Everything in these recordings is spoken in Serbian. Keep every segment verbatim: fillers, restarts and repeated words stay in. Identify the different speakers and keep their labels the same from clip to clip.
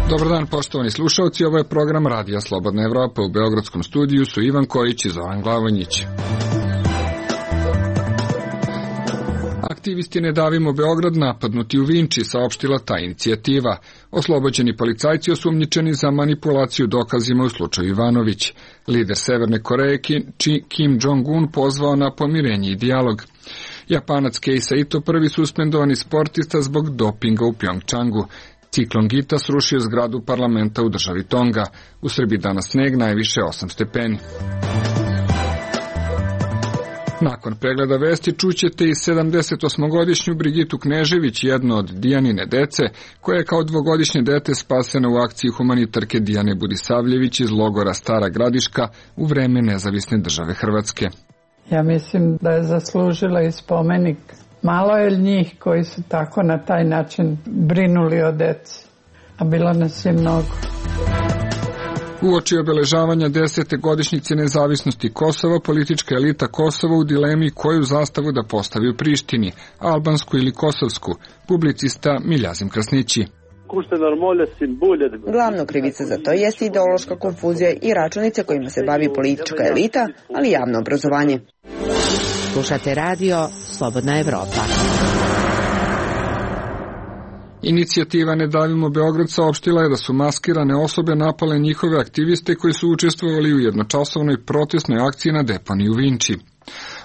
Speaker 1: Dobar dan, poštovani slušalci, ovo je program Radija Slobodna Evropa. U beogradskom studiju su Ivan Kojić i Zoran Glavonjić. Aktivisti Ne davimo Beograd napadnuti u Vinči, saopštila ta inicijativa. Oslobođeni policajci osumnjičeni za manipulaciju dokazima u slučaju Ivanović. Lider Severne Koreje Kim Jong-un pozvao na pomirenje i dijalog. Japanac Kei Saito prvi suspendovani sportista zbog dopinga u Pjongčangu. Ciklon Gita srušio zgradu parlamenta u državi Tonga. U Srbiji danas sneg, najviše osam stepeni. Nakon pregleda vesti čućete i sedamdesetosmogodišnju Brigitu Knežević, jednu od Dijanine dece, koja je kao dvogodišnje dete spasena u akciji humanitarke Dijane Budisavljević iz logora Stara Gradiška u vreme nezavisne države Hrvatske.
Speaker 2: Ja mislim da je zaslužila i spomenik. Malo je njih koji su tako na taj način brinuli o deci, a bilo nas je mnogo.
Speaker 1: Uoči obeležavanja desete godišnjice nezavisnosti Kosova, politička elita Kosova u dilemi koju zastavu da postavi u Prištini, albansku ili kosovsku, publicista Miljazim Krasnići.
Speaker 3: Glavna krivica za to jeste ideološka konfuzija i računice kojima se bavi politička elita, ali javno obrazovanje.
Speaker 4: Slušate radio Slobodna Evropa.
Speaker 1: Inicijativa Ne davimo Beograd saopštila je da su maskirane osobe napale njihove aktiviste koji su učestvovali u jednočasovnoj protestnoj akciji na deponiji u Vinči.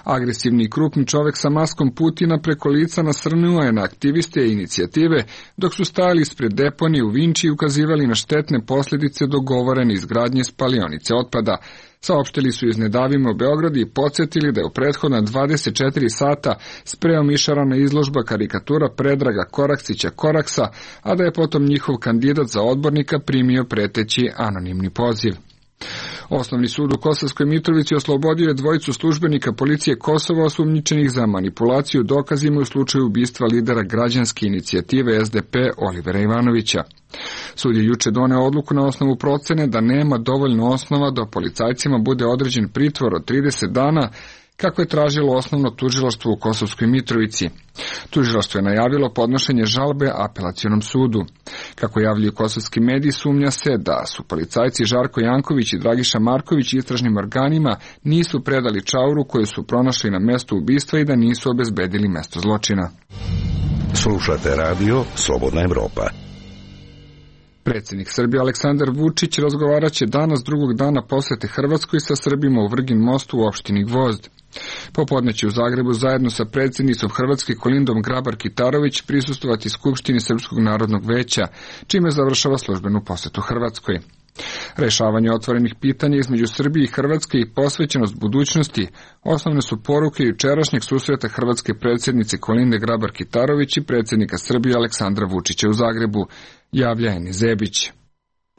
Speaker 1: Agresivni i krupni čovek sa maskom Putina preko lica nasrnuo je na aktiviste inicijative dok su stajali ispred deponije u Vinči i ukazivali na štetne posljedice dogovorene izgradnje spalionice otpada. Saopštili su iz Ne davimo Beograd i podsjetili da je u prethodna dvadeset četiri sata sprejom išarana izložba karikatura Predraga Koraksića Koraksa, a da je potom njihov kandidat za odbornika primio preteći anonimni poziv. Osnovni sud u Kosovskoj Mitrovici oslobodio je dvojicu službenika policije Kosova osumnjičenih za manipulaciju dokazima u slučaju ubistva lidera građanske inicijative S D P Olivera Ivanovića. Sud je juče doneo odluku na osnovu procene da nema dovoljno osnova da policajcima bude određen pritvor od trideset dana, kako je tražilo osnovno tužilaštvo u Kosovskoj Mitrovici. Tužilaštvo je najavilo podnošenje žalbe apelacionom sudu. Kako javljaju kosovski mediji, sumnja se da su policajci Žarko Janković i Dragiša Marković istražnim organima nisu predali čauru koju su pronašli na mestu ubistva i da nisu obezbedili mesto zločina.
Speaker 5: Slušate radio Slobodna Evropa.
Speaker 1: Predsjednik Srbije Aleksandar Vučić razgovarat će danas drugog dana posete Hrvatskoj sa Srbima u Vrgin mostu u opštini Gvozd. Popodne će u Zagrebu zajedno sa predsjednicom Hrvatske Kolindom Grabar-Kitarović prisustvovati Skupštini Srpskog narodnog veća, čime završava službenu posetu Hrvatskoj. Rešavanje otvorenih pitanja između Srbije i Hrvatske i posvećenost budućnosti osnovne su poruke jučerašnjeg susreta hrvatske predsjednice Kolinde Grabar-Kitarović i predsjednika Srbije Aleksandra Vučića u Zagrebu, javlja Eni Zebić.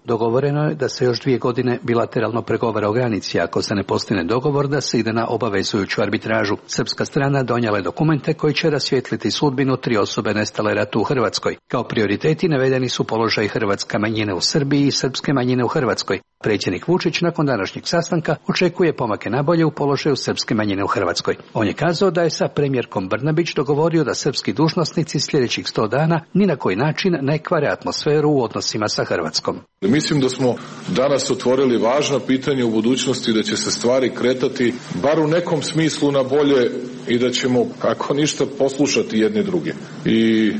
Speaker 6: Dogovoreno je da se još dvije godine bilateralno pregovara o granici, ako se ne postigne dogovor da se ide na obavezujuću arbitražu. Srpska strana donijela je dokumente koji će rasvijetliti sudbinu tri osobe nestale ratu u Hrvatskoj. Kao prioriteti navedeni su položaj hrvatske manjine u Srbiji i srpske manjine u Hrvatskoj. Predsjednik Vučić nakon današnjeg sastanka očekuje pomake nabolje u položaju srpske manjine u Hrvatskoj. On je kazao da je sa premijerkom Brnabić dogovorio da srpski dužnosnici sljedećih sto dana ni na koji način ne kvare atmosferu u odnosima sa Hrvatskom.
Speaker 7: Mislim da smo danas otvorili važna pitanja u budućnosti, da će se stvari kretati bar u nekom smislu na bolje i da ćemo, ako ništa, poslušati jedni druge. I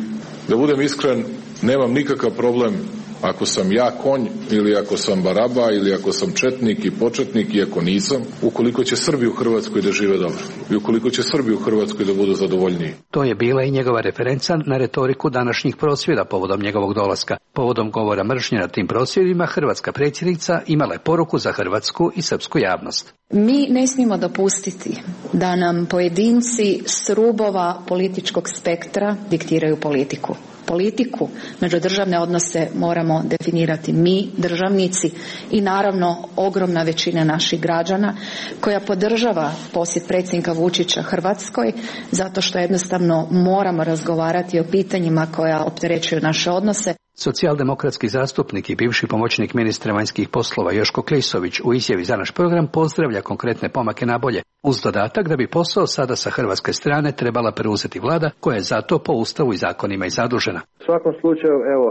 Speaker 7: da budem iskren, nemam nikakav problem ako sam ja konj ili ako sam baraba ili ako sam četnik i početnik i ako nisam, ukoliko će Srbi u Hrvatskoj da žive dobro i ukoliko će Srbi u Hrvatskoj da budu zadovoljniji.
Speaker 6: To je bila i njegova referenca na retoriku današnjih prosvjeda povodom njegovog dolaska. Povodom govora mržnje na tim prosvjedima hrvatska predsjednica imala je poruku za hrvatsku i srpsku javnost.
Speaker 8: Mi ne smijemo dopustiti da nam pojedinci s rubova političkog spektra diktiraju politiku. Politiku, međudržavne odnose moramo definirati mi, državnici, i naravno ogromna većina naših građana koja podržava posjet predsjednika Vučića Hrvatskoj, zato što jednostavno moramo razgovarati o pitanjima koja opterećuju naše odnose.
Speaker 6: Socijaldemokratski zastupnik i bivši pomoćnik ministra vanjskih poslova Joško Klisović u izjavi za naš program pozdravlja konkretne pomake na bolje, uz dodatak da bi posao sada sa hrvatske strane trebala preuzeti vlada koja je zato po ustavu i zakonima i zadužena.
Speaker 9: U svakom slučaju, evo,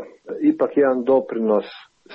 Speaker 9: ipak jedan doprinos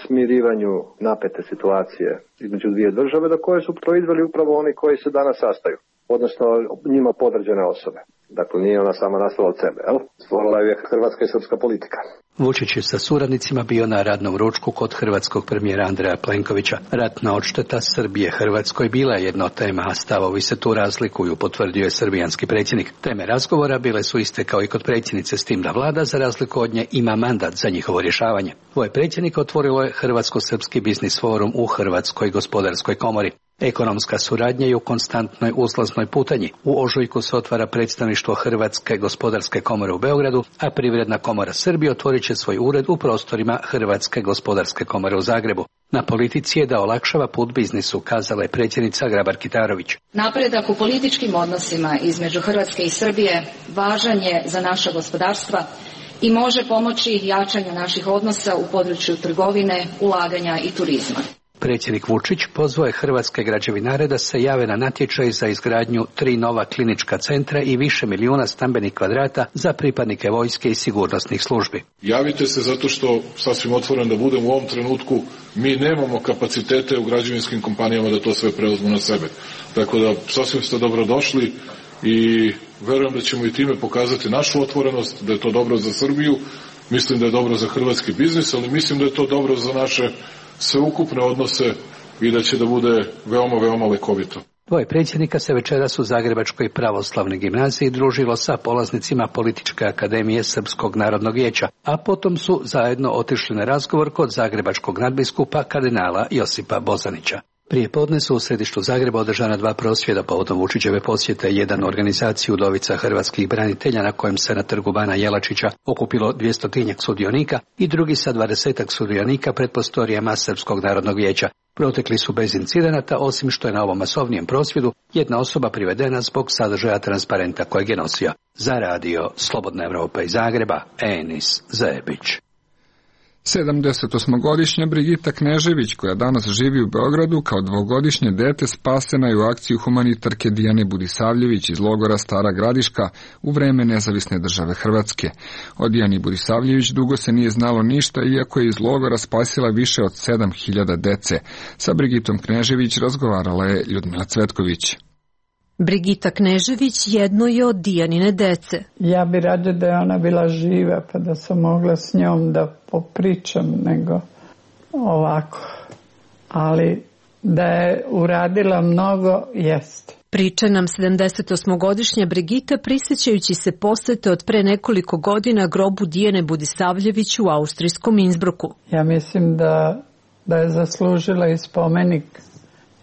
Speaker 9: smirivanju napete situacije između dvije države do koje su proizveli upravo oni koji se danas sastaju, odnosno njima podređene osobe. Dakle, nije ona sama nastala od sebe, jel? Stvorila je hrvatska i srpska politika.
Speaker 6: Vučić je sa suradnicima bio na radnom ručku kod hrvatskog premijera Andreja Plenkovića. Ratna odšteta Srbije Hrvatskoj bila je jedna od tema, a stavovi se tu razlikuju, potvrdio je srbijanski predsjednik. Teme razgovora bile su iste kao i kod predsjednice, s tim da vlada za razliku od nje ima mandat za njihovo rješavanje. Dvoje predsjednika otvorilo je Hrvatsko-srpski biznis forum u Hrvatskoj gospodarskoj komori. Ekonomska suradnja je u konstantnoj uzlaznoj putanji. U ožujku se otvara predstavništvo Hrvatske gospodarske komore u Beogradu, a Privredna komora Srbije otvorit će svoj ured u prostorima Hrvatske gospodarske komore u Zagrebu. Na politici je da olakšava put biznisu, kazala je predsjednica Grabar-Kitarović.
Speaker 8: Napredak u političkim odnosima između Hrvatske i Srbije važan je za naša gospodarstva i može pomoći jačanju naših odnosa u području trgovine, ulaganja i turizma.
Speaker 6: Predsjednik Vučić pozvao je hrvatske građevinare da se jave na natječaj za izgradnju tri nova klinička centra i više milijuna stambenih kvadrata za pripadnike vojske i sigurnosnih službi.
Speaker 7: Javite se zato što, sasvim otvoren da budem, u ovom trenutku mi nemamo kapacitete u građevinskim kompanijama da to sve preuzmu na sebe. Tako da sasvim ste dobrodošli i verujem da ćemo i time pokazati našu otvorenost, da je to dobro za Srbiju, mislim da je dobro za hrvatski biznis, ali mislim da je to dobro za naše sveukupne odnose i da će da bude veoma, veoma lekovito.
Speaker 6: Dvoje predsjednika se večeras u Zagrebačkoj pravoslavnoj gimnaziji družilo sa polaznicima Političke akademije Srpskog narodnog vijeća, a potom su zajedno otišli na razgovor kod zagrebačkog nadbiskupa kardinala Josipa Bozanića. Prije podne su u središtu Zagreba održana dva prosvjeda povodom Vučićeve posjete, jedan organizaciju udovica hrvatskih branitelja na kojem se na trgu Bana Jelačića okupilo dvjestotinjak sudionika i drugi sa dvadesetak sudionika pred prostorijama Srpskog narodnog vijeća. Protekli su bez incidenata, osim što je na ovom masovnijem prosvjedu jedna osoba privedena zbog sadržaja transparenta kojeg je nosio. Za radio Slobodna Evropa iz Zagreba, Enis Zebić.
Speaker 1: sedamdesetosmogodišnja Brigita Knežević, koja danas živi u Beogradu, kao dvogodišnje dete spasena je u akciji humanitarke Dijane Budisavljević iz logora Stara Gradiška u vreme nezavisne države Hrvatske. O Dijani Budisavljević dugo se nije znalo ništa, iako je iz logora spasila više od sedam hiljada dece. Sa Brigitom Knežević razgovarala je Ljudmila Cvetković.
Speaker 10: Brigita Knežević jedno je od Dijanine dece.
Speaker 2: Ja bi rađe da je ona bila živa pa da sam mogla s njom da popričam nego ovako. Ali da je uradila mnogo, jeste.
Speaker 10: Priča nam sedamdesetosmogodišnja Brigita prisjećajući se posete od pre nekoliko godina grobu Dijane Budisavljević u austrijskom Innsbrucku.
Speaker 2: Ja mislim da, da je zaslužila i spomenik,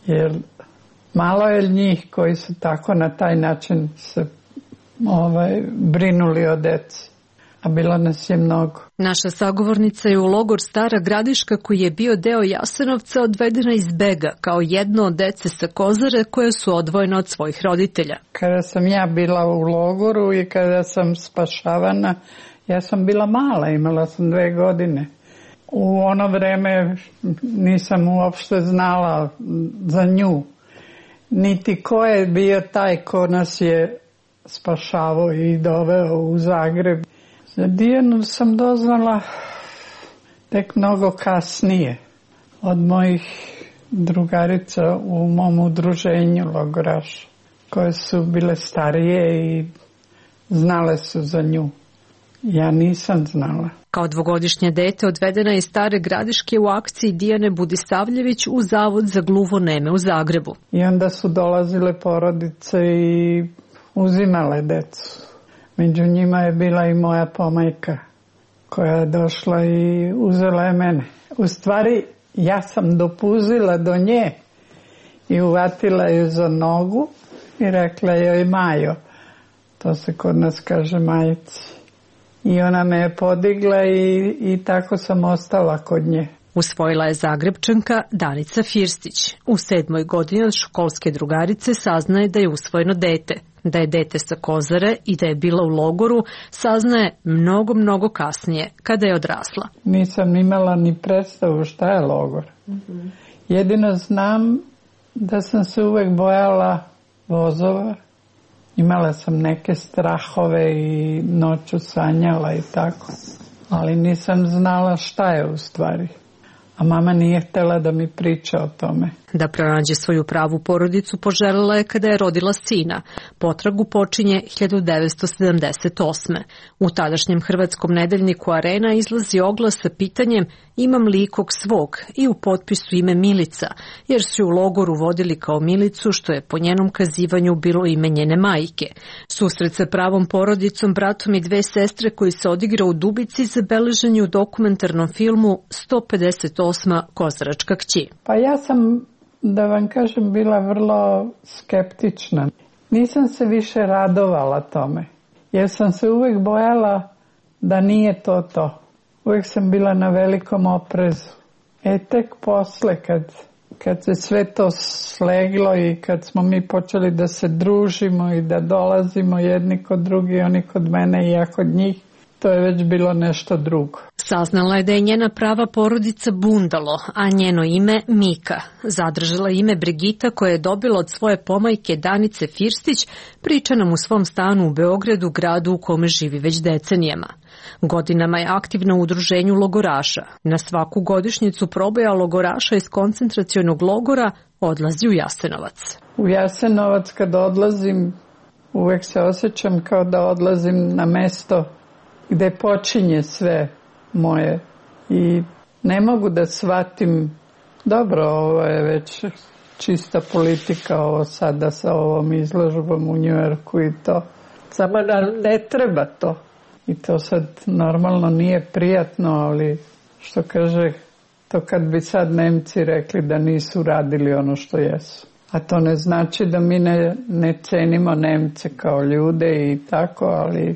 Speaker 2: jer malo je njih koji su tako na taj način se ovaj, brinuli o deci, a bilo nas je mnogo.
Speaker 10: Naša sagovornica je u logor Stara Gradiška, koji je bio deo Jasenovca, odvedena iz bega kao jedno od dece sa Kozare koje su odvojene od svojih roditelja.
Speaker 2: Kada sam ja bila u logoru i kada sam spašavana, ja sam bila mala, imala sam dve godine. U ono vreme nisam uopšte znala za nju. Niti ko je bio taj ko nas je spašavao i doveo u Zagreb. Za Dijanu sam doznala tek mnogo kasnije od mojih drugarica u mom udruženju logoraša, koje su bile starije i znale su za nju. Ja nisam znala.
Speaker 10: Kao dvogodišnje dete odvedena je iz Stare Gradiške u akciji Dijane Budisavljević u Zavod za gluvoneme u Zagrebu.
Speaker 2: I onda su dolazile porodice i uzimale decu. Među njima je bila i moja pomajka koja je došla i uzela je mene. U stvari ja sam dopuzila do nje i uvatila ju za nogu i rekla joj Majo. To se kod nas kaže majici. I ona me je podigla i, i tako sam ostala kod nje.
Speaker 10: Usvojila je Zagrebčanka Danica Firstić. U sedmoj godini od školske drugarice saznaje da je usvojeno dete. Da je dete sa Kozare i da je bila u logoru saznaje mnogo, mnogo kasnije, kada je odrasla.
Speaker 2: Nisam imala ni predstavu šta je logor. Mm-hmm. Jedino znam da sam se uvek bojala vozova. Imala sam neke strahove i noću sanjala i tako. Ali nisam znala šta je u stvari. A mama nije htjela da mi priča o tome.
Speaker 10: Da pronađe svoju pravu porodicu poželjela je kada je rodila sina. Potragu počinje hiljadu devetsto sedamdeset osme. U tadašnjem hrvatskom nedeljniku Arena izlazi oglas sa pitanjem imam li ikog svog i u potpisu ime Milica, jer su u logoru vodili kao Milicu, što je po njenom kazivanju bilo ime njene majke. Susret sa pravom porodicom, bratom i dve sestre koji se odigra u Dubici zabeležen je u dokumentarnom filmu sto pedeset osma Kozaračka kći.
Speaker 2: Pa ja sam, da vam kažem, bila vrlo skeptična. Nisam se više radovala tome, jer sam se uvijek bojala da nije to to. Uvijek sam bila na velikom oprezu. E tek posle, kad, kad se sve to sleglo i kad smo mi počeli da se družimo i da dolazimo jedni kod drugi, oni kod mene i ja kod njih, to je već bilo nešto drugo.
Speaker 10: Saznala je da je njena prava porodica Bundalo, a njeno ime Mika. Zadržala ime Brigita koja je dobila od svoje pomajke Danice Firstić, priča nam u svom stanu u Beogradu, gradu u kome živi već decenijama. Godinama je aktivna u udruženju logoraša. Na svaku godišnjicu proboja logoraša iz koncentracionog logora odlazi u Jasenovac.
Speaker 2: U Jasenovac kad odlazim, uvek se osjećam kao da odlazim na mesto gde počinje sve moje i ne mogu da shvatim, dobro, ovo je već čista politika, ovo sada sa ovom izložbom u Njujorku i to, samo ne treba to i to sad normalno nije prijatno, ali što kaže, to kad bi sad Nemci rekli da nisu radili ono što jesu. A to ne znači da mi ne, ne cenimo Nemce kao ljude i tako, ali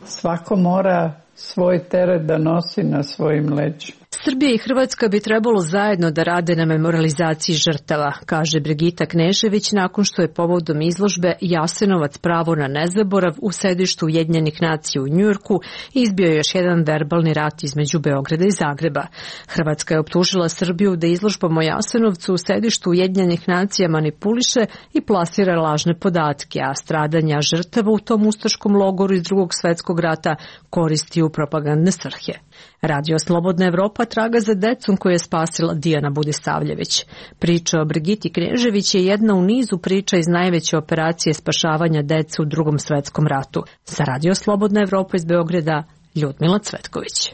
Speaker 2: svako mora svoj teret da nosi na svojim leđima.
Speaker 10: Srbija i Hrvatska bi trebalo zajedno da rade na memorializaciji žrtava, kaže Brigita Knežević nakon što je povodom izložbe Jasenovac pravo na nezaborav u sedištu Ujedinjenih nacija u Njujorku izbio još jedan verbalni rat između Beograda i Zagreba. Hrvatska je optužila Srbiju da izložbom o Jasenovcu u sedištu Ujedinjenih nacija manipuliše i plasira lažne podatke, a stradanja žrtava u tom ustaškom logoru iz Drugog svetskog rata koristi u propagandne svrhe. Radio Slobodna Evropa traga za decom koju je spasila Dijana Budisavljević. Priča o Brigiti Knežević je jedna u nizu priča iz najveće operacije spašavanja dece u Drugom svetskom ratu. Za Radio Slobodna Evropa iz Beograda, Ljudmila Cvetković.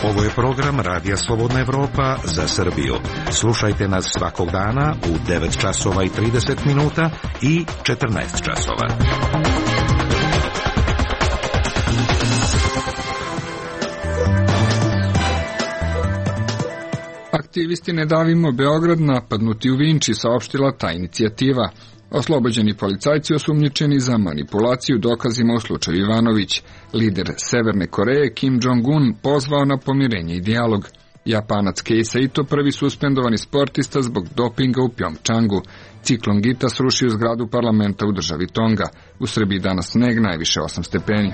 Speaker 5: Ovo je program Radija Slobodna Evropa za Srbiju. Slušajte nas svakog dana u devet časova i trideset minuta i četrnaest časova.
Speaker 1: Aktivisti Ne davimo Beograd napadnuti u Vinči, saopštila ta inicijativa. Oslobođeni policajci osumnjičeni za manipulaciju dokazima u slučaju Ivanović. Lider Severne Koreje Kim Jong-un pozvao na pomirenje i dijalog. Japanac Kei Saito prvi suspendovani sportista zbog dopinga u Pjongčangu. Ciklon Gita srušio zgradu parlamenta u državi Tonga. U Srbiji danas sneg, najviše osam stepeni.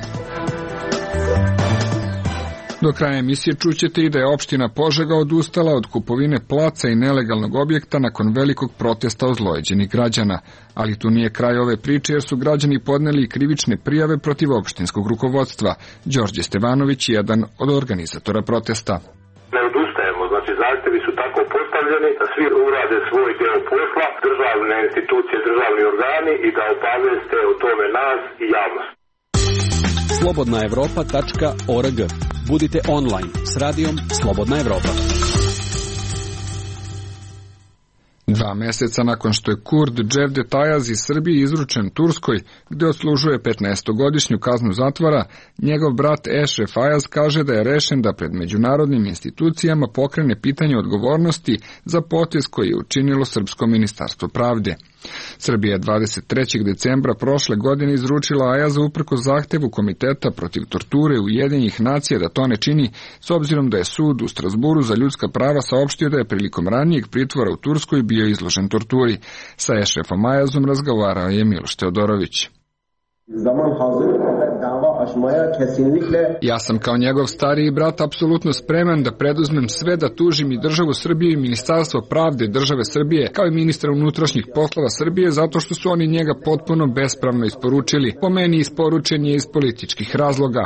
Speaker 1: Do kraja emisije čućete i da je opština Požega odustala od kupovine placa i nelegalnog objekta nakon velikog protesta ozlojeđenih građana. Ali tu nije kraj ove priče jer su građani podneli krivične prijave protiv opštinskog rukovodstva. Đorđe Stevanović je jedan od organizatora protesta.
Speaker 11: Ne odustajemo, znači zahtjevi su tako postavljeni da svi urade svoj deo posla, državne institucije, državni organi i da obaveste o tome nas i javnost.
Speaker 12: slobodna evropa tačka org. Budite online s radijom Slobodna Evropa.
Speaker 1: Dva meseca nakon što je Kurd Cevdet Ayaz iz Srbije izručen Turskoj, gde odslužuje petnaestogodišnju kaznu zatvora, njegov brat Ešref Ayaz kaže da je rešen da pred međunarodnim institucijama pokrene pitanje odgovornosti za potez koji je učinilo Srpsko ministarstvo pravde. Srbija je dvadeset trećeg decembra prošle godine izručila Ayaza uprkos zahtevu Komiteta protiv torture Ujedinjenih nacija da to ne čini, s obzirom da je sud u Strasburu za ljudska prava saopštio da je prilikom ranijeg pritvora u Turskoj bio izložen torturi. Sa Ešrefom Ayazom razgovarao je Miloš Teodorović. Ja sam kao njegov stariji brat apsolutno spreman da preduzmem sve da tužim i državu Srbiju i Ministarstvo pravde države Srbije, kao i ministra unutrašnjih poslova Srbije, zato što su oni njega potpuno bespravno isporučili. Po meni isporučen je iz političkih razloga.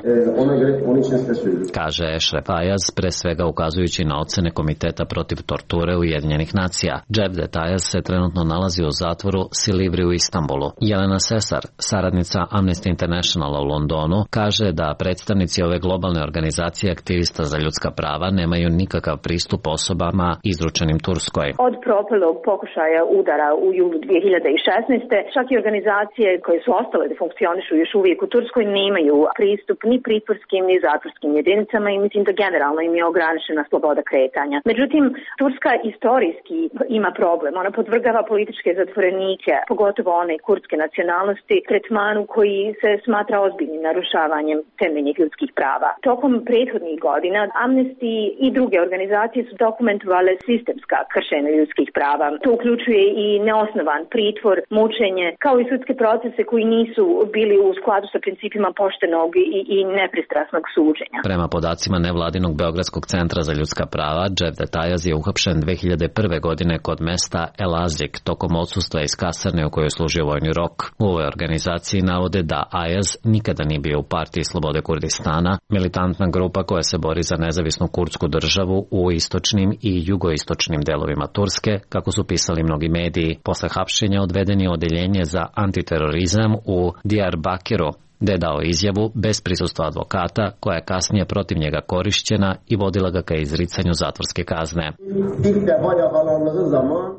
Speaker 13: Kaže Ešref Ayaz, pre svega ukazujući na ocene Komiteta protiv torture Ujedinjenih nacija. Cevdet Ayaz se trenutno nalazi u zatvoru Silivri u Istanbulu. Jelena Sesar, saradnica Amnesty Internationala u Londonu, kaže da predstavnici ove globalne organizacije aktivista za ljudska prava nemaju nikakav pristup osobama izručenim Turskoj.
Speaker 14: Od propalog pokušaja udara u julu dve hiljade šesnaeste. čak i organizacije koje su ostale da funkcionišu još uvijek u Turskoj nemaju pristup ni pritvorskim ni zatvorskim jedinicama i mislim da generalno im je ograničena sloboda kretanja. Međutim, Turska istorijski ima problem. Ona podvrgava političke zatvorenike, pogotovo one kurdske nacionalnosti, tretmanu koji se smatra ozbiljnim narušavanjem temeljnih ljudskih prava. Tokom prethodnih godina Amnesty i druge organizacije su dokumentovale sistemska kršenja ljudskih prava. To uključuje i neosnovan pritvor, mučenje, kao i sudske procese koji nisu bili u skladu sa principima poštenog i, i nepristrasnog suđenja.
Speaker 13: Prema podacima nevladinog Beogradskog centra za ljudska prava, Cevdet Ayaz je uhapšen dve hiljade prve. godine kod mesta Elazik tokom odsustva iz kasarne u kojoj je služio vojni rok. U ovoj organizaciji navode da Ayaz nikada nije bio u partiji Slobode Kurdistana, militantna grupa koja se bori za nezavisnu kurdsku državu u istočnim i jugoistočnim delovima Turske, kako su pisali mnogi mediji. Posle hapšenja odveden je odeljenje za antiterorizam u Diyarbakiru, gde je dao izjavu bez prisustva advokata, koja je kasnije protiv njega korišćena i vodila ga ka izricanju zatvorske kazne.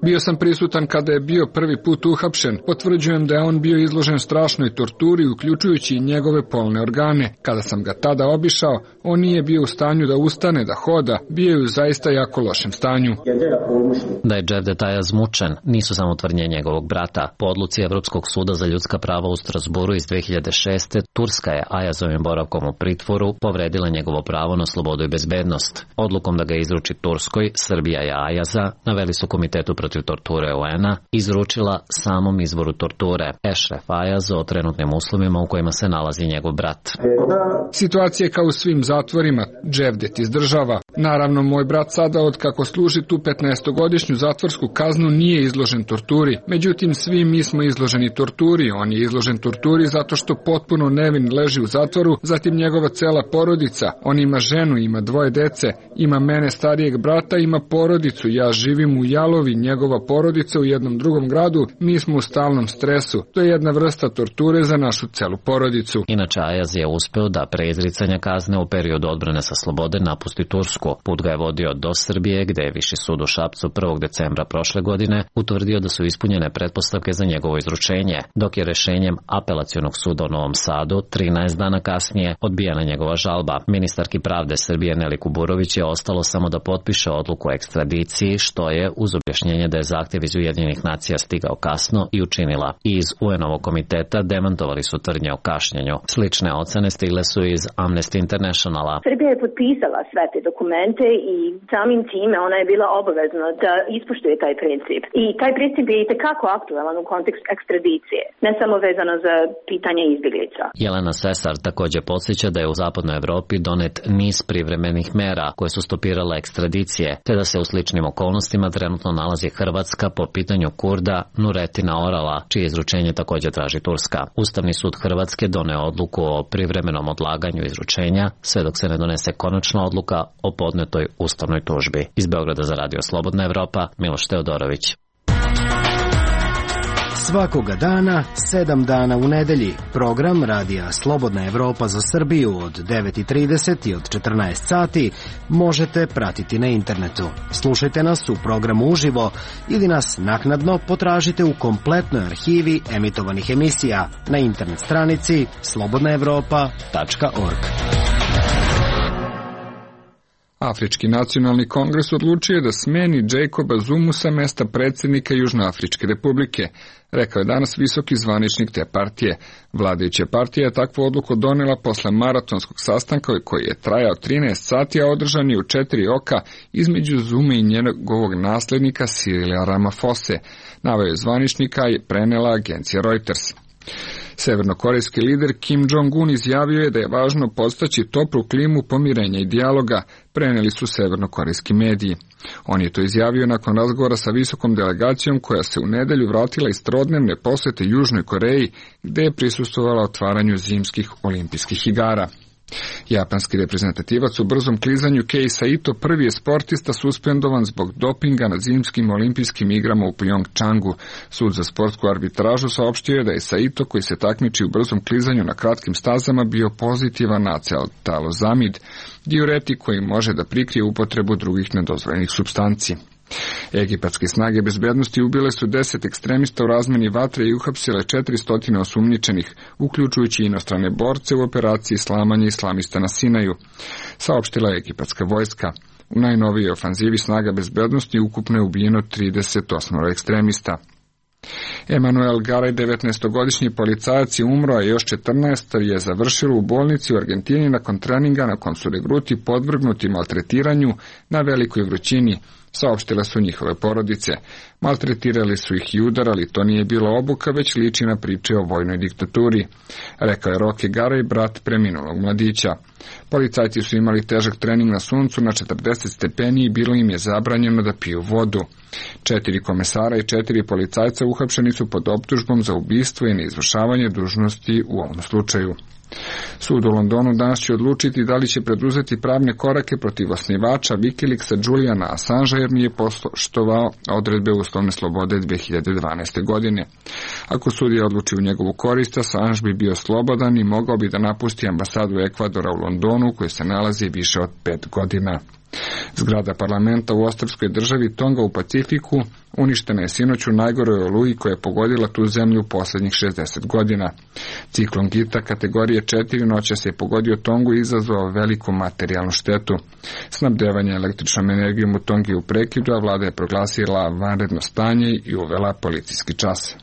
Speaker 1: Bio sam prisutan kada je bio prvi put uhapšen. Potvrđujem da je on bio izložen strašnoj torturi, uključujući i njegove polne organe. Kada sam ga tada obišao, on nije bio u stanju da ustane, da hoda, bio je u zaista jako lošem stanju.
Speaker 13: Da je Cevdet Ayaz mučen nisu samo tvrdnje njegovog brata. Po odluci Evropskog suda za ljudska prava u Strasburu iz dve hiljade šeste. Turska je Ayazovim boravkom u pritvoru povredila njegovo pravo na slobodu i bezbednost. Odlukom da ga izruči Turskoj, Srbija je Ayaza, naveli su Komitetu protiv torture U N-a, izručila samom izvoru torture, Ešref Ayaz, o trenutnim uslovima u kojima se nalazi njegov brat.
Speaker 1: Situacija je kao u svim zatvorima, Cevdet izdržava. Naravno, moj brat sada, od kako služi tu petnaestogodišnju zatvorsku kaznu, nije izložen torturi. Međutim, svi mi smo izloženi torturi. On je izložen torturi zato što potpuno nevin leži u zatvoru, zatim njegova cela porodica. On ima ženu, ima dvoje dece, ima mene starijeg brata, ima porodicu. Ja živim u Jalovi, njegova porodica u jednom drugom gradu. Mi smo u stalnom stresu. To je jedna vrsta torture za našu celu porodicu.
Speaker 13: Inače, Ayaz je uspeo da pre izricanja kazne u periodu odbrane sa slobode napusti Tursku. Put ga je vodio do Srbije, gde je Viši sud u Šapcu prvog decembra prošle godine utvrdio da su ispunjene pretpostavke za njegovo izručenje, dok je rešenjem Apelacionog suda u Novom Sadu trinaest dana kasnije odbijena njegova žalba. Ministarki pravde Srbije Neli Kuburović je ostalo samo da potpiše odluku o ekstradiciji, što je, uz objašnjenje da je zahtev iz Ujedinjenih nacija stigao kasno, i učinila. I iz U N-ovog komiteta demantovali su tvrdnje o kašnjenju. Slične ocene stigle su iz Amnesty Internationala.
Speaker 14: Srbija je potpisala sve te dokumente i samim time ona je bila obavezna da ispoštuje taj princip. I taj princip je itekako aktualan u kontekstu ekstradicije, ne samo vezano za pitanje izbjeglica.
Speaker 13: Jelena Sesar također podsjeća da je u zapadnoj Evropi donet niz privremenih mera koje su stopirale ekstradicije, te da se u sličnim okolnostima trenutno nalazi Hrvatska po pitanju Kurda Nuretina Orala, čije izručenje također traži Turska. Ustavni sud Hrvatske doneo odluku o privremenom odlaganju izručenja, sve dok se ne donese konačna odluka o podnetoj ustavnoj tužbi. Iz Beograda za Radio Slobodna Evropa, Miloš Teodorović.
Speaker 15: Svakoga dana, sedam dana u nedelji, program Radija Slobodna Evropa za Srbiju od devet i trideset i od četrnaest sati možete pratiti na internetu. Slušajte nas u programu uživo ili nas naknadno potražite u kompletnoj arhivi emitovanih emisija na internet stranici slobodna evropa tačka org.
Speaker 1: Afrički nacionalni kongres odlučio je da smeni Jacoba Zumu sa mesta predsjednika Južnoafričke republike, rekao je danas visoki zvaničnik te partije. Vladajuća partija je takvu odluku donela posle maratonskog sastanka koji je trajao trinaest sati, a održan je u četiri oka između Zume i njegovog naslednika Cyrila Ramaphosa, naveo je zvaničnika i prenela agencija Reuters. Severnokorejski lider Kim Jong-un izjavio je da je važno podstaći toplu klimu pomirenja i dijaloga, preneli su severnokorejski mediji. On je to izjavio nakon razgovora sa visokom delegacijom koja se u nedelju vratila iz trodnevne posete Južnoj Koreji, gde je prisustvovala otvaranju zimskih olimpijskih igara. Japanski reprezentativac u brzom klizanju Kei Saito prvi je sportista suspendovan zbog dopinga na zimskim olimpijskim igrama u Pjongčangu. Sud za sportsku arbitražu saopštio je da je Saito, koji se takmiči u brzom klizanju na kratkim stazama, bio pozitivan na acetalozamid, diuretik koji može da prikrije upotrebu drugih nedozvoljenih supstanci. Egipatske snage bezbednosti ubile su deset ekstremista u razmeni vatre i uhapsile četiristo osumnjičenih, uključujući inostrane borce u operaciji slamanja islamista na Sinaju, saopštila je egipatska vojska. U najnovijoj ofanzivi snaga bezbednosti ukupno je ubijeno trideset osam ekstremista. Emanuel Garay, devetnaestogodišnji policajac, je umro, a još četrnaest je završilo u bolnici u Argentini nakon treninga na kom su regruti podvrgnuti maltretiranju na velikoj vrućini, saopštile su njihove porodice. Maltretirali su ih i udarali, to nije bilo obuka, već liči na priče o vojnoj diktaturi, rekao je Roque Garay, brat preminulog mladića. Policajci su imali težak trening na suncu na četrdeset stepeni i bilo im je zabranjeno da piju vodu. Četiri komesara i četiri policajca uhapšeni su pod optužbom za ubistvo i neizvršavanje dužnosti u ovom slučaju. Sud u Londonu danas će odlučiti da li će preduzeti pravne korake protiv osnivača Wikileaksa Juliana Assangea jer nije poštovao odredbe uslovne slobode dve hiljade dvanaeste. godine. Ako sudija odluči u njegovu korist, Assange bi bio slobodan i mogao bi da napusti ambasadu Ekvadora u Londonu, koji se nalazi više od pet godina. Zgrada parlamenta u ostrvskoj državi Tonga u Pacifiku uništena je sinoć u najgoroj oluji koja je pogodila tu zemlju u posljednjih šezdeset godina. Ciklon Gita kategorije četiri noćas je pogodio Tongu i izazvao veliku materijalnu štetu. Snabdevanje električnom energijom u Tongi u prekidu, a vlada je proglasila vanredno stanje i uvela policijski čas.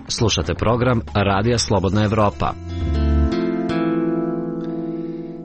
Speaker 13: Slušate program Radija Slobodna Evropa.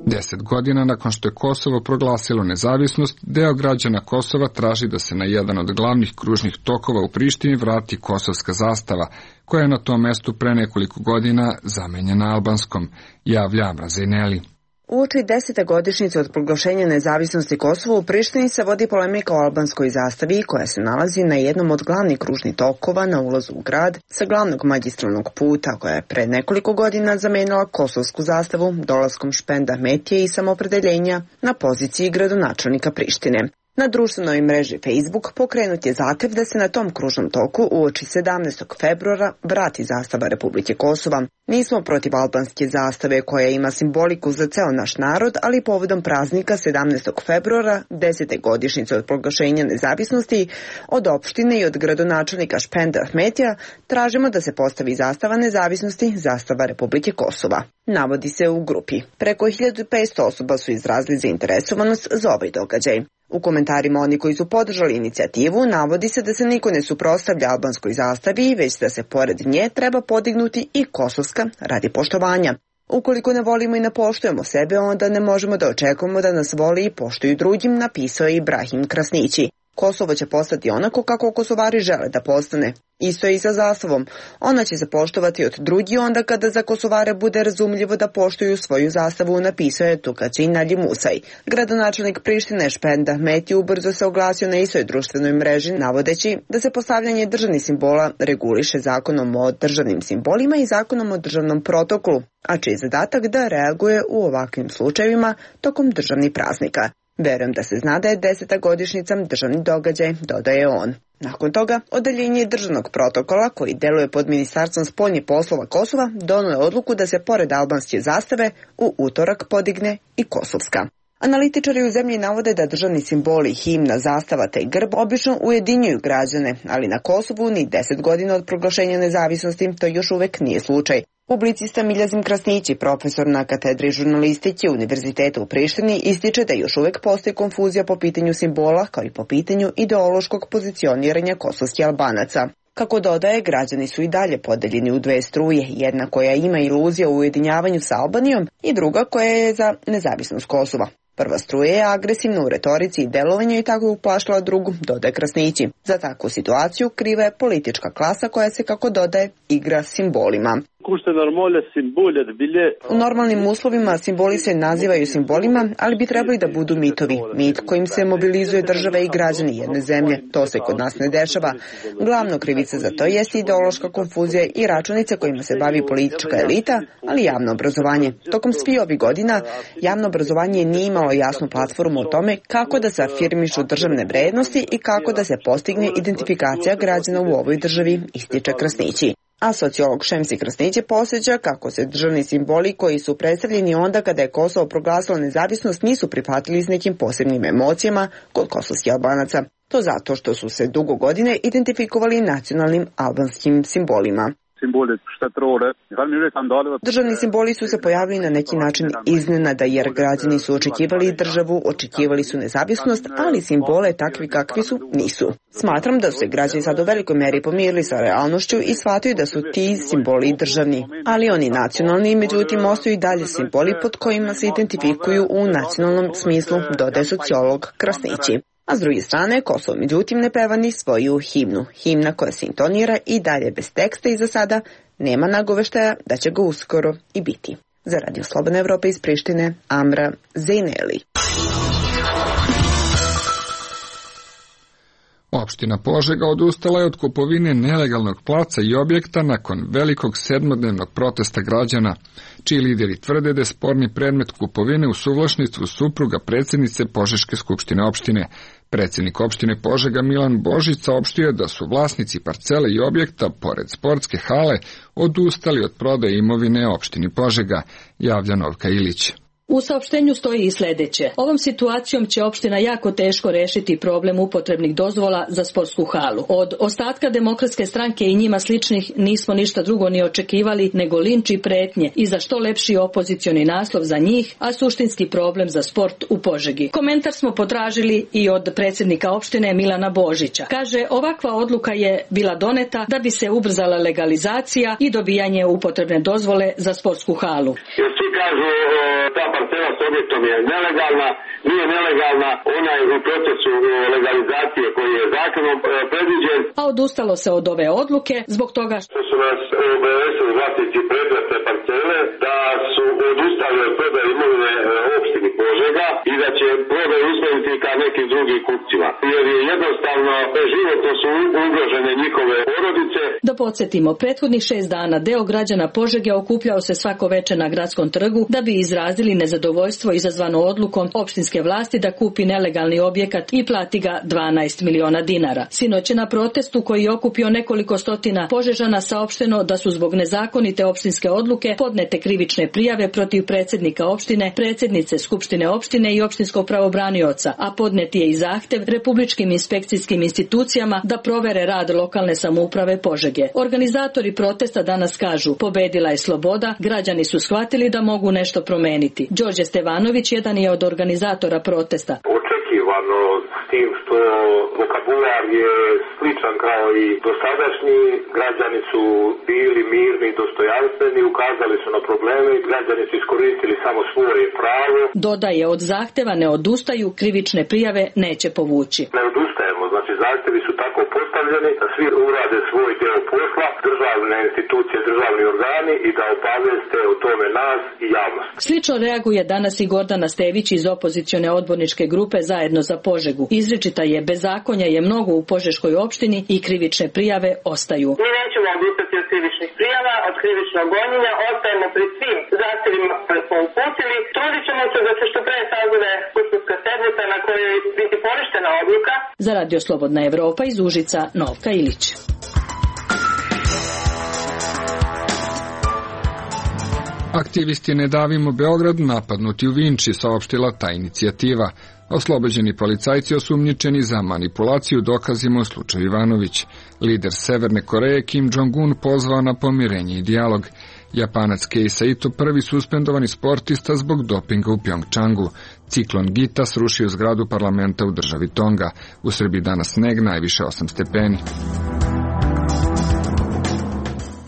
Speaker 1: Deset godina nakon što je Kosovo proglasilo nezavisnost, deo građana Kosova traži da se na jedan od glavnih kružnih tokova u Prištini vrati kosovska zastava, koja je na tom mestu pre nekoliko godina zamenjena albanskom, javlja Amra Zejneli.
Speaker 3: Uoči desete godišnjice od proglašenja nezavisnosti Kosova u Prištini se vodi polemika o albanskoj zastavi koja se nalazi na jednom od glavnih kružnih tokova na ulazu u grad sa glavnog magistralnog puta, koja je pre nekoliko godina zamenila kosovsku zastavu dolaskom Špend Ahmetije i Samoopredjeljenja na poziciji gradonačelnika Prištine. Na društvenoj mreži Facebook pokrenut je zahtev da se na tom kružnom toku uoči sedamnaestog februara vrati zastava Republike Kosova. Nismo protiv albanske zastave koja ima simboliku za ceo naš narod, ali povodom praznika sedamnaestog februara, desete godišnjice od proglašenja nezavisnosti, od opštine i od gradonačelnika Špend Ahmetija tražimo da se postavi zastava nezavisnosti, zastava Republike Kosova. Navodi se u grupi. Preko hiljadu petsto osoba su izrazili zainteresovanost za ovaj događaj. U komentarima oni koji su podržali inicijativu navodi se da se niko ne suprotstavlja albanskoj zastavi, već da se pored nje treba podignuti i kosovska radi poštovanja. Ukoliko ne volimo i ne poštujemo sebe, onda ne možemo da očekujemo da nas voli i poštuju drugim, napisao je Ibrahim Krasnići. Kosovo će postati onako kako Kosovari žele da postane. Isto je i sa zastavom. Ona će se poštovati od drugi onda kada za Kosovare bude razumljivo da poštuju svoju zastavu, napisao je Tukaci Nalji Musaj. Gradonačelnik Prištine Špend Ahmeti ubrzo se oglasio na istoj društvenoj mreži, navodeći da se postavljanje državnih simbola reguliše zakonom o državnim simbolima i zakonom o državnom protokolu, a čiji je zadatak da reaguje u ovakvim slučajevima tokom državnih praznika. Verujem da se zna da je deseta godišnjica državni događaj, dodaje on. Nakon toga, odeljenje državnog protokola, koji deluje pod Ministarstvom spoljnih poslova Kosova, donelo je odluku da se pored albanske zastave u utorak podigne i kosovska. Analitičari u zemlji navode da državni simboli, himna, zastava te grb obično ujedinjuju građane, ali na Kosovu ni deset godina od proglašenja nezavisnosti to još uvek nije slučaj. Publicista Miljazim Krasnići, profesor na katedri žurnalistike Univerziteta u Prištini, ističe da još uvek postoji konfuzija po pitanju simbola kao i po pitanju ideološkog pozicioniranja kosovskih Albanaca. Kako dodaje, građani su i dalje podeljeni u dve struje, jedna koja ima iluzija u ujedinjavanju sa Albanijom i druga koja je za nezavisnost Kosova. Prva struja je agresivna u retorici i delovanju i tako uplašila drugu, dodaje Krasnići. Za takvu situaciju kriva je politička klasa koja se, kako dodaje, igra simbolima. U normalnim uslovima simboli se nazivaju simbolima, ali bi trebali da budu mitovi. Mit kojim se mobilizuje država i građani jedne zemlje. To se kod nas ne dešava. Glavno krivica za to jeste ideološka konfuzija i računice kojima se bavi politička elita, ali javno obrazovanje. Tokom svih ovih godina javno obrazovanje nije imalo jasnu platformu o tome kako da se afirmišu državne vrednosti i kako da se postigne identifikacija građana u ovoj državi, ističe Krasnići. A sociolog Šemsi Krasnić posjeća kako se državni simboli koji su predstavljeni onda kada je Kosovo proglasilo nezavisnost nisu prihvatili s nekim posebnim emocijama kod kosovskih Albanaca. To zato što su se dugo godine identifikovali nacionalnim albanskim simbolima. Državni simboli su se pojavili na neki način iznenada jer građani su očekivali državu, očekivali su nezavisnost, ali simbole takvi kakvi su nisu. Smatram da su se građani sad u velikoj meri pomirili sa realnošću i shvataju da su ti simboli državni, ali oni nacionalni, međutim ostaju i dalje simboli pod kojima se identifikuju u nacionalnom smislu, dodaje sociolog Krasnići. A s druge strane, Kosovo međutim ne peva ni svoju himnu. Himna koja se intonira i dalje bez teksta i za sada nema nagoveštaja da će ga uskoro i biti. Za Radio Slobodna Evropa iz Prištine, Amra Zejneli.
Speaker 1: Opština Požega odustala je od kupovine nelegalnog placa i objekta nakon velikog sedmodnevnog protesta građana, čiji lideri tvrde da je sporni predmet kupovine u suvlasništvu supruga predsjednice Požeške skupštine opštine. Predsjednik opštine Požega Milan Božić saopštio da su vlasnici parcele i objekta pored sportske hale odustali od prodaje imovine opštini Požega, javlja Novka Ilić.
Speaker 16: U saopštenju stoji i sljedeće. Ovom situacijom će opština jako teško rešiti problem upotrebnih dozvola za sportsku halu. Od ostatka Demokratske stranke i njima sličnih nismo ništa drugo ni očekivali nego linč i pretnje i za što lepši opozicioni naslov za njih, a suštinski problem za sport u Požegi. Komentar smo potražili i od predsjednika opštine Milana Božića. Kaže, ovakva odluka je bila doneta da bi se ubrzala legalizacija i dobijanje upotrebne dozvole za sportsku halu.
Speaker 11: Ta parcela s objektom je nelegalna, nije nelegalna, ona je u procesu legalizacije koji je zakonom predviđen.
Speaker 16: A odustalo se od ove odluke zbog toga
Speaker 11: što su nas obavestili vlasnici predmetne parcele da su odustali od prodaje imovine opštini Požega i da će prodaju usmeriti ka nekim drugim kupcima. Jer je jednostavno životno su ugrožene njihove porodice.
Speaker 16: Da podsjetimo, prethodnih šest dana deo građana Požege okupljao se svako veče na gradskom trgu da bi izrazili nezadovoljstvo izazvano odlukom opštinske vlasti da kupi nelegalni objekat i plati ga dvanaest miliona dinara. Sinoć je na protestu koji je okupio nekoliko stotina Požežana saopšteno da su zbog nezakonite opštinske odluke podnete krivične prijave protiv predsjednika opštine, predsjednice skupštine opštine i opštinskog pravobranioca, a podnet je i zahtev republičkim inspekcijskim institucijama da provere rad lokalne samouprave Požege. Organizatori protesta danas kažu, pobedila je sloboda, građani su shvatili da mogu nešto promeniti. Đorđe Stevanović jedan je od organizatora protesta.
Speaker 11: Očekivano s tim što vokabular je sličan kao i dosadašnji, građani su bili mirni i dostojanstveni, ukazali su na probleme i građani su iskoristili samo svoje pravo.
Speaker 16: Dodaje, od zahteva ne odustaju, krivične prijave neće povući.
Speaker 11: Ne odustajemo, znači zahtevi su tako postavljeni da svi urade svoj deo posla, državne institucije, državni organi i da obavijeste o tome nas i javnost.
Speaker 16: Slično reaguje danas i Gordana Stević iz opozicione odborničke grupe Zajedno za Požegu. Izričita je, bezakonja je mnogo u Požeškoj opštini i krivične prijave ostaju.
Speaker 17: Mi nećemo odustati od krivičnih prijava, od krivičnog gonjenja, ostajemo pri svim zahtevima koje smo uputili. Trudit ćemo se da se što pre sazove skupštinska sednica na kojoj biti poništena odluka.
Speaker 16: Za Radio Slobodna Evropa iz Užica, Novka Ilić.
Speaker 1: Aktivisti Ne davimo Beograd napadnuti u Vinči, saopštila ta inicijativa. Oslobođeni policajci osumnjičeni za manipulaciju dokazima u slučaju Ivanović. Lider Severne Koreje Kim Jong-un pozvao na pomirenje i dijalog. Japanac Kei Saito prvi suspendovani sportista zbog dopinga u Pjongčangu. Ciklon Gita srušio zgradu parlamenta u državi Tonga. U Srbiji danas sneg, najviše osam stepeni.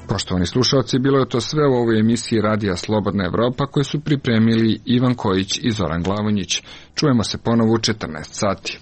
Speaker 1: Poštovani slušalci, bilo je to sve u ovoj emisiji Radija Slobodna Evropa koju su pripremili Ivan Kojić i Zoran Glavonjić. Čujemo se ponovo u četrnaest sati.